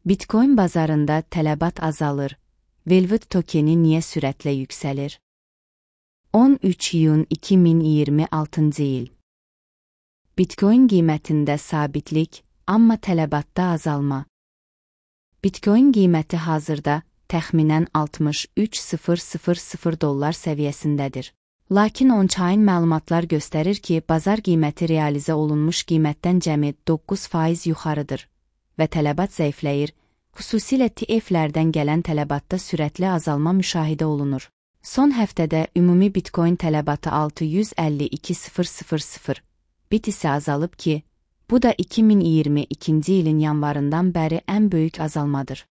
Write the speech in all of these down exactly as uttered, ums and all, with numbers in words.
Bitcoin bazarında tələbat azalır. Velvet tokeni niyə sürətlə yüksəlir? on üç iyun iki min iyirmi altıncı il. Bitcoin qiymətində sabitlik, amma tələbatda azalma. Bitcoin qiyməti hazırda təxminən altmış üç min dollar səviyyəsindədir. Lakin on-chain məlumatlar göstərir ki, bazar qiyməti realizə olunmuş qiymətdən cəmi doqquz faiz yuxarıdır və tələbat zəifləyir, xüsusilə T F-lərdən gələn tələbatda sürətli azalma müşahidə olunur. Son həftədə ümumi Bitcoin tələbatı altı yüz əlli iki min bit isə azalıb ki, bu da iki min iyirmi ikinci ilin yanvarından bəri ən böyük azalmadır.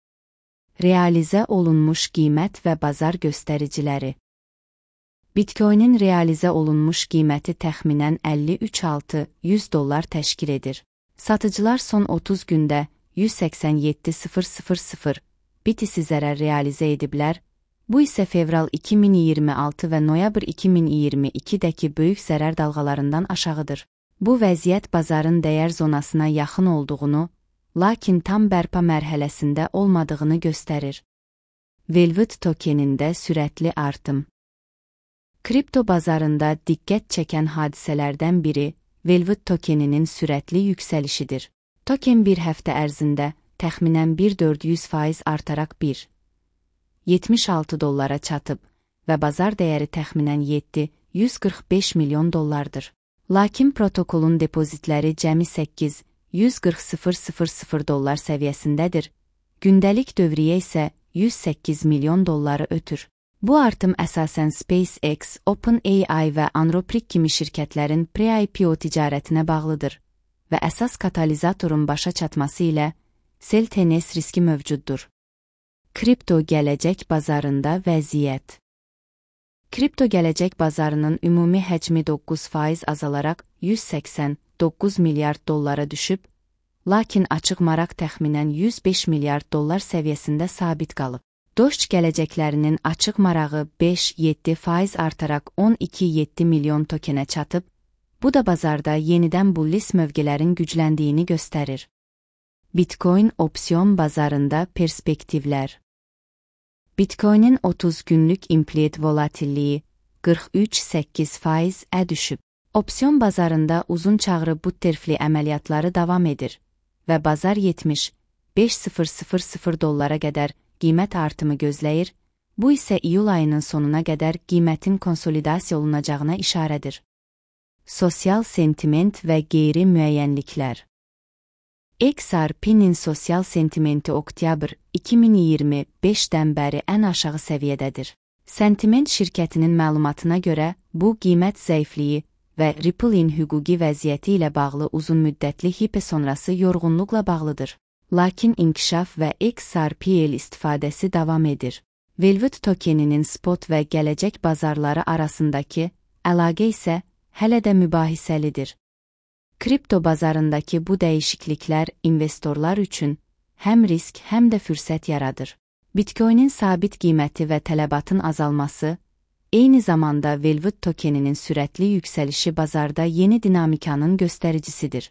Realizə olunmuş qiymət və bazar göstəriciləri. Bitcoinin realizə olunmuş qiyməti təxminən əlli üç min altı yüz dollar təşkil edir. Satıcılar son otuz gündə yüz səksən yeddi min bit isi zərər realizə ediblər, bu isə fevral iki min iyirmi altı və noyabr iki min iyirmi ikidəki böyük zərər dalğalarından aşağıdır. Bu vəziyyət bazarın dəyər zonasına yaxın olduğunu, lakin tam bərpa mərhələsində olmadığını göstərir. Velvet tokenində sürətli artım. Kripto bazarında diqqət çəkən hadisələrdən biri Velvet tokeninin sürətli yüksəlişidir. Token bir həftə ərzində təxminən bir milyon dörd yüz min faiz artaraq bir milyon yetmiş altı dollara çatıb və bazar dəyəri təxminən yeddi milyon yüz qırx beş milyon dollardır. Lakin protokolun depozitləri cəmi səkkiz milyon yüz qırx min dollar səviyyəsindədir, gündəlik dövriyyə isə yüz səkkiz milyon dolları ötür. Bu artım əsasən SpaceX, OpenAI və Anthropic kimi şirkətlərin pre-I P O ticarətinə bağlıdır və əsas katalizatorun başa çatması ilə sell-tenes riski mövcuddur. Kripto gələcək bazarında vəziyyət. Kripto gələcək bazarının ümumi həcmi doqquz faiz azalaraq yüz səksən doqquz milyard dollara düşüb, lakin açıq maraq təxminən yüz beş milyard dollar səviyyəsində sabit qalıb. Doge gələcəklərinin açıq marağı beş yeddi faiz artaraq on iki yeddi milyon tokenə çatıb, bu da bazarda yenidən bullish mövqələrin gücləndiyini göstərir. Bitcoin opsiyon bazarında perspektivlər. Bitcoinin otuz günlük implied volatilliyi qırx üç nöqtə səkkiz faizə düşüb. Opsiyon bazarında uzun çağrı butterfli əməliyyatları davam edir və bazar yetmiş beş min dollara qədər qiymət artımı gözləyir, bu isə iyul ayının sonuna qədər qiymətin konsolidasiya olunacağına işarədir. Sosial sentiment və qeyri-müəyyənliklər. X R P'nin sosial sentimenti oktyabr iki min iyirmi beşdən bəri ən aşağı səviyyədədir. Sentiment şirkətinin məlumatına görə, bu qiymət zəifliyi və Ripple'in hüquqi vəziyyəti ilə bağlı uzun müddətli hipe sonrası yorğunluqla bağlıdır. Lakin inkişaf və X R P L istifadəsi davam edir. Velvet tokeninin spot və gələcək bazarları arasındakı əlaqə isə hələ də mübahisəlidir. Kripto bazarındakı bu dəyişikliklər investorlar üçün həm risk, həm də fürsət yaradır. Bitcoinin sabit qiyməti və tələbatın azalması, eyni zamanda Velvet tokeninin sürətli yüksəlişi bazarda yeni dinamikanın göstəricisidir.